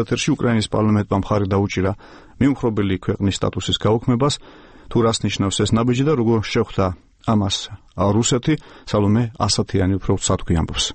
ეთერში უკრაინის პარლამენტმა მხარი დაუჭირა მიუმხრობელი ქვეყნის სტატუსის გაუქმებას, თუ რას ნიშნავს ეს ნაბიჯი და როგორ შეხვდა ამას რუსეთი, სალომე ასათიანი უფრო სათქვი ამბობს.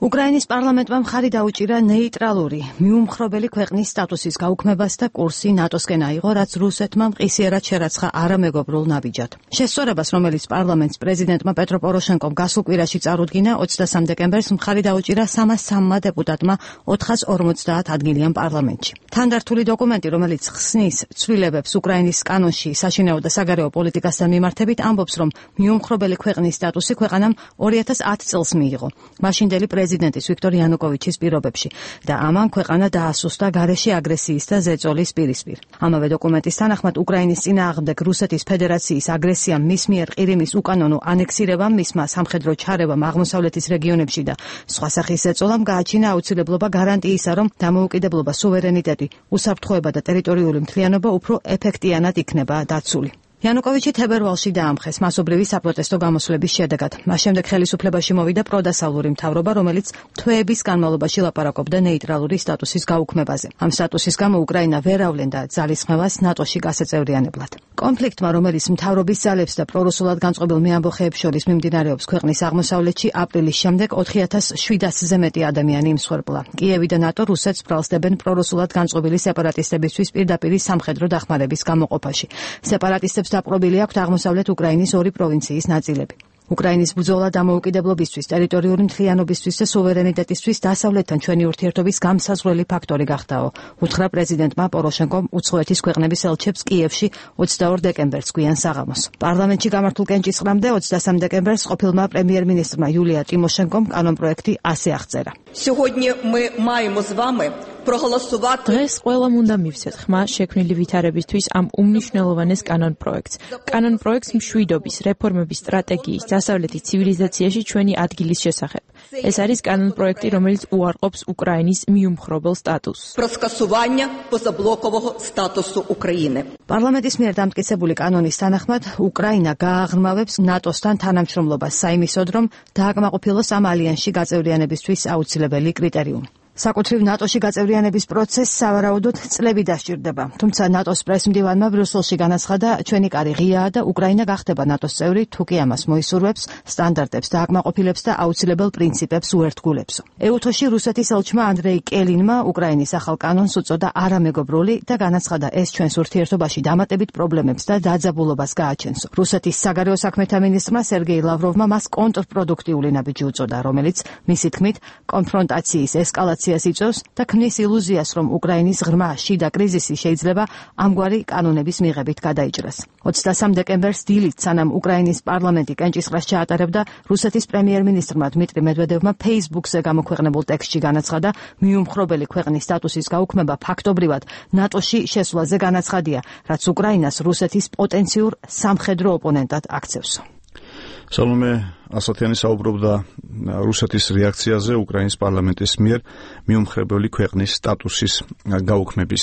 უკრაინის პარლამენტმა მხარი დაუჭირა ნეიტრალური, მიუმხრობელი ქვეყნის სტატუსის გაუქმებას და კურსი ნატოსკენ აიღო, რაც რუსეთმა მყისიერად შერაცხა არამეგობრულ ნაბიჯად. შესწორებას, რომელიც პარლამენტს პრეზიდენტმა პეტრო პოროშენკომ გასულ კვირაში წარუდგინა, 23 დეკემბერს მხარი დაუჭირა 303 დეპუტატმა 450 ადგილიან პარლამენტში. თანდართული დოკუმენტი, რომელიც ხსნის ცვლილებებს უკრაინის კანონში საშინაო და საგარეო პოლიტიკასთან მიმართებით, ამბობს, რომ მიუმხრობელი ქვეყნის სტატუსი ქვეყანამ 2010 წელს მიიღო. მაშინდელი პრეზიდენტის ვიქტორ იანუკოვიჩის პირობებში და ამან ქვეყანა დაასუსტა გარეშე აგრესიის და ზეწოლის პირისპირ. ამავე დოკუმენტის თანახმად უკრაინის წინააღმდეგ რუსეთის ფედერაციის აგრესიამ, მის მიერ ყირიმის უკანონო ანექსირებამ, მისმა სამხედრო ჩარევამ აღმოსავლეთის რეგიონებში და სხვა სახის ზეწოლამ გააჩინა აუცილებლობა გარანტიისა, რომ დამოუკიდებლობა, სუვერენიტეტი, უსაფრთხოება და ტერიტორიული მთლიანობა უფრო ეფექტიანად იქნება დაცული. იანუკოვიჩი თებერვალში დაამხეს მასობრივი საპროტესტო გამოსვლების შედეგად. მას შემდეგ ხელისუფლებაში მოვიდა პროდასალური მთავრობა, რომელიც თვეების განმავლობაში ლაპარაკობდა ნეიტრალური სტატუსის გაუქმებაზე. ამ სტატუსის გამო უკრაინა ვერ ავლენდა ძალისხმევას ნატოში გასაწევრიანებლად. კონფლიქტმა, რომელიც მთავრობის ძალებს და პრორუსულად განწყობილ მეამბოხეებს შორის მიმდინარეობს ქვეყნის აღმოსავლეთში, აპრილის შემდეგ 4700-ზე მეტი ადამიანი იმსხვერპლა. კიევი და ნატო რუსეთს ბრალსდებენ პრორუსულად განწყობილი სეპარატისტებისთვის პირდაპირი სამხედრო დახმარების გამოყოფაში. სეპარატისტებს დაპყრობილი აქვთ აღმოსავლეთ უკრაინის 2 პროვინციის ნაწილები. უკრაინის ბრძოლა დამოუკიდებლობისთვის, ტერიტორიული მთლიანობისთვის და სუვერენიტეტისთვის დასავლეთთან ჩვენი ურთიერთობის გამსაზღვრელი ფაქტორი გახდაო, უთხრა პრეზიდენტმა პოროშენკომ უცხოეთის ქვეყნების ელჩებს კიევში 22 დეკემბერს გვიან საღამოს. პარლამენტში გამართულ კენჭისყრამდე 23 დეკემბერს ყოფილმა პრემიერ-მინისტრმა იულია ტიმოშენკომ კანონპროექტი ასე აღწერა. დღეს ყველამ უნდა მივცეთ ხმა შექმნილი ვითარებისთვის ამ უმნიშვნელოვანეს კანონპროექტს. კანონპროექტს მშვიდობის, რეფორმების სტრატეგიის, დასავლეთის ცივილიზაციაში ჩვენი ადგილის შესახებ. ეს არის კანონპროექტი, რომელიც უარყოფს უკრაინის მიუმხრობელ სტატუსს. პარლამენტის მიერ დამტკიცებული კანონის თანახმად, უკრაინა გააღრმავებს ნატოსთან თანამშრომლობას საიმისოდ, რომ დააკმაყოფილოს ამ ალიანსში გაწევრიანებისთვის აუცილებელი კრიტერიუმი. საკუთრივ ნატოში გაწევრიანების პროცესს სავარაუდოდ წლები დასჭირდება. თუმცა ნატოს პრესმდივანმა ბრიუსელში განაცხადა, ჩვენი კარი ღიაა და უკრაინა გახდება ნატოს წევრი, თუ კი ამას მოისურვებს, სტანდარტებს დააკმაყოფილებს და აუცილებელ პრინციპებს უერთგულებსო. ეუთოში რუსეთის ელჩმა ანდრეი კელინმა უკრაინის ახალ კანონს უწოდა არამეგობრული და განაცხადა, ეს ჩვენს ურთიერთობაში დამატებით პრობლემებს და დაძაბულობას გააჩენსო. რუსეთის საგარეო საქმეთა მინისტრმა სერგეი ლავროვმა მას კონტრპროდუქტიული ნაბიჯი უწოდა, რომელიც მისი თქმით კონფრონტაციის ესკალაციას იწვევს და ქმნის ილუზიას, რომ უკრაინის ღრმა შიდა კრიზისი შეიძლება ამგვარი კანონების მიღებით გადაიჭრას. 23 დეკემბერს დილით, სანამ უკრაინის პარლამენტი კენჭისყრას ჩაატარებდა, რუსეთის პრემიერ-მინისტრმა დმიტრი მედვედევმა Facebook-ზე გამოქვეყნებულ ტექსტში განაცხადა, მიუმხრობელი ქვეყნის სტატუსის გაუქმება ფაქტობრივად ნატოში შესვლაზე განაცხადია, რაც უკრაინას რუსეთის პოტენციურ სამხედრო ოპონენტად აქცევს. სალომე ასათიანი საუბრობდა რუსეთის რეაქციაზე უკრაინის პარლამენტის მიერ მიუმხრობელი ქვეყნის სტატუსის გაუქმების